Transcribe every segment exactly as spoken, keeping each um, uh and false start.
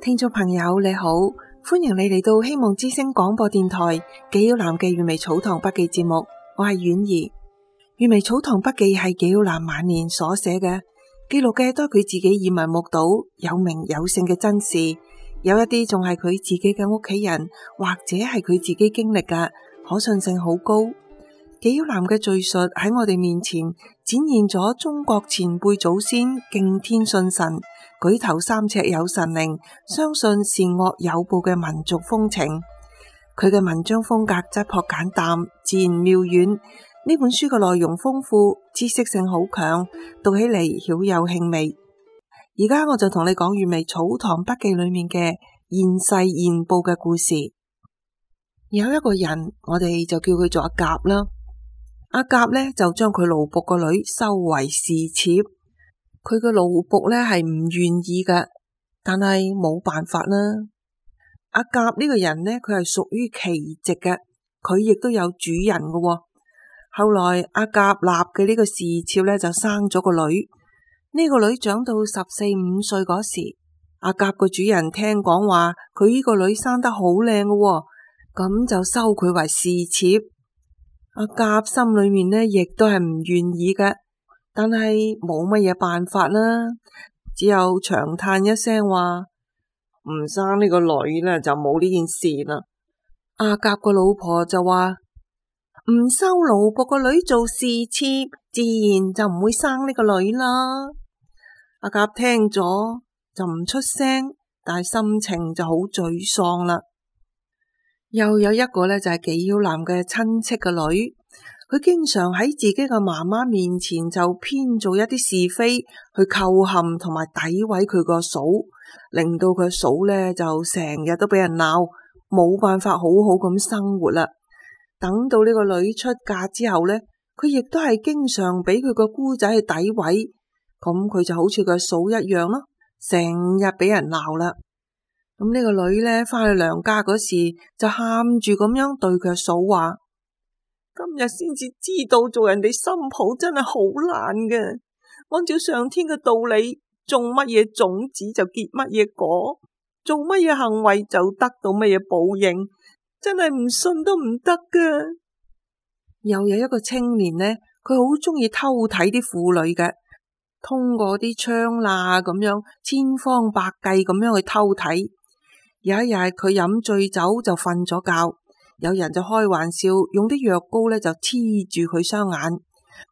聽眾朋友你好，歡迎你嚟到希望之聲廣播電台紀曉嵐嘅粵微草堂筆記節目，我係婉兒。粵微草堂筆記係紀曉嵐晚年所寫嘅，記錄嘅都係佢自己耳聞目睹有名有姓嘅真事，有一啲仲係佢自己嘅屋企人或者係佢自己經歷嘅，可信性好高。紀曉嵐嘅敘述喺我哋面前展現咗中國前輩祖先敬天信神、舉頭三尺有神靈、相信善惡有報嘅民族風情。佢嘅文章風格質樸簡淡，自然妙遠。呢本書嘅內容豐富，知識性好強，讀起嚟曉有興味。而家我就同你講粵微草堂筆記裏面嘅現世現報嘅故事。有一個人，我哋就叫佢做阿甲啦。阿甲呢就將佢奴僕個女收為侍妾，佢嘅奴僕呢係唔願意嘅，但係冇辦法啦。阿甲呢個人呢，佢係屬於奇籍嘅，佢亦都有主人嘅。後來阿甲立嘅呢個侍妾呢就生咗個女，呢個女長到十四五歲嗰時，阿甲個主人聽講話佢呢個女生得好靚嘅，咁就收佢為侍妾。阿甲心裏面呢，亦都係唔願意嘅，但係冇乜嘢辦法啦，只有長嘆一聲話唔生呢個女呢，就冇呢件事啦。阿甲個老婆就話唔收奴僕個女做侍妾，自然就唔會生呢個女啦。阿甲聽咗就唔出聲，但係心情就好沮喪啦。又有一個呢，就係紀曉嵐嘅親戚嘅女，佢經常喺自己嘅媽媽面前就編造一啲是非去構陷同埋詆毀佢個嫂，令到佢嫂呢就成日都俾人鬧，冇辦法好好咁生活啦。等到呢個女出嫁之後呢，佢亦都係經常俾佢個姑仔去詆毀，咁佢就好似佢嫂一樣咯，成日俾人鬧啦。咁呢個女呢，返去娘家嗰時就喊住咁樣對佢嫂話：今日先至知道做人哋新抱真係好難嘅，按照上天嘅道理，種乜嘢種子就結乜嘢果，做乜嘢行為就得到乜嘢報應，真係唔信都唔得㗎。又有一個青年呢，佢好中意偷睇啲婦女嘅，通過啲窗罅咁樣千方百計咁樣去偷睇。有一日佢飲醉酒就瞓咗覺，有人就開玩笑用啲藥膏呢就黐住佢雙眼，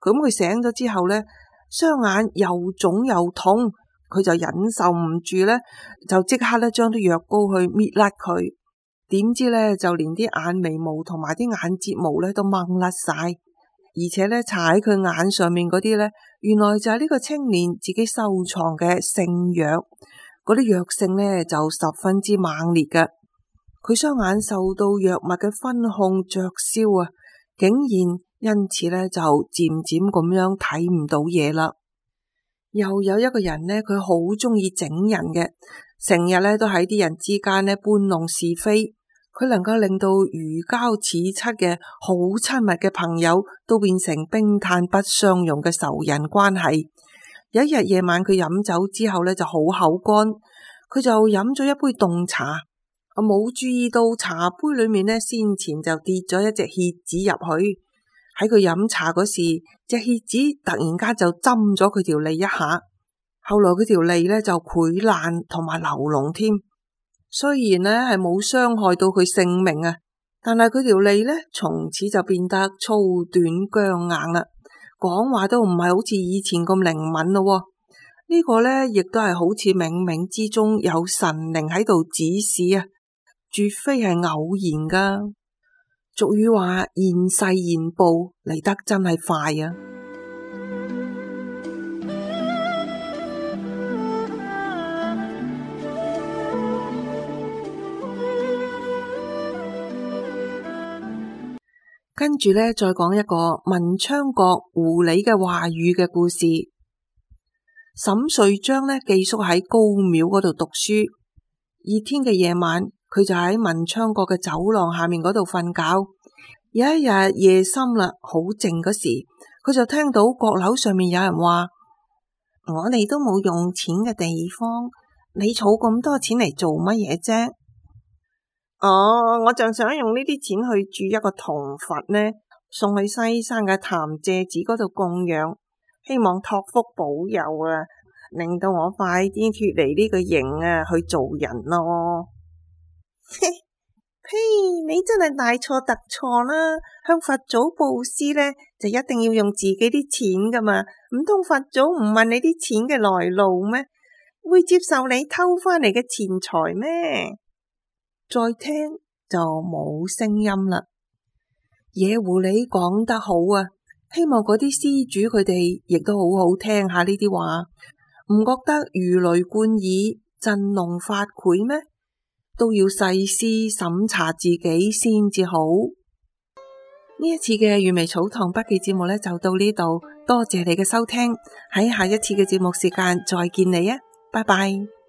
咁佢醒咗之後呢，雙眼又腫又痛，佢就忍受唔住呢，就即刻呢將啲藥膏去搣甩佢，點知呢，就連啲眼眉毛同埋啲眼睫毛呢都掹甩晒，而且呢，搽喺佢眼上面嗰啲呢，原來就係呢個青年自己收藏嘅聖藥。嗰啲藥性呢就十分之猛烈嘅，佢雙眼受到藥物嘅熏控灼燒啊，竟然因此呢就漸漸咁樣睇唔到嘢啦。又有一個人呢，佢好中意整人嘅，成日呢都喺啲人之間呢搬弄是非，佢能夠令到如膠似漆嘅好親密嘅朋友都變成冰炭不相容嘅仇人關係。有一日夜晚佢飲酒之後呢就好口乾，佢就飲咗一杯凍茶，我冇注意到茶杯裏面呢先前就跌咗一隻蠍子入去，喺佢飲茶嗰時，隻蠍子突然間就針咗佢條脷一下，後來佢條脷呢就潰爛同埋流膿添，雖然呢係冇傷害到佢性命啊，但係佢條脷呢從此就變得粗短僵硬啦。講話都唔係好似以前咁靈敏咯，呢個呢亦都係好似冥冥之中有神靈喺度指示啊，絕非係偶然噶。俗語話現世現報嚟得真係快啊！跟住呢，再講一個文昌閣狐狸嘅話語嘅故事。沈瑞章呢寄宿喺高廟嗰度讀書，熱天嘅夜晚，佢就喺文昌閣嘅走廊下面嗰度瞓覺。有一日夜深啦，好靜嗰時，佢就聽到閣樓上面有人話：我哋都冇用錢嘅地方，你儲咁多錢嚟做乜嘢啫？哦，我就想用呢啲錢去鑄一個銅佛呢，送去西山嘅潭柘寺嗰度供養，希望託福保佑啊，令到我快啲脫離呢個形啊，去做人咯。呸！你真係大錯特錯啦！向佛祖布施呢，就一定要用自己啲錢噶嘛，唔通佛祖唔問你啲錢嘅來路咩？會接受你偷返嚟嘅錢財咩？再聽就冇聲音啦。野狐狸講得好啊，希望嗰啲施主佢哋亦都好好聽下呢啲話，唔覺得如雷貫耳、振聾發聵咩？都要細思審查自己先至好。呢一次嘅粵微草堂筆記節目呢，就到呢度，多謝你嘅收聽，喺下一次嘅節目時間再見你啊，拜拜。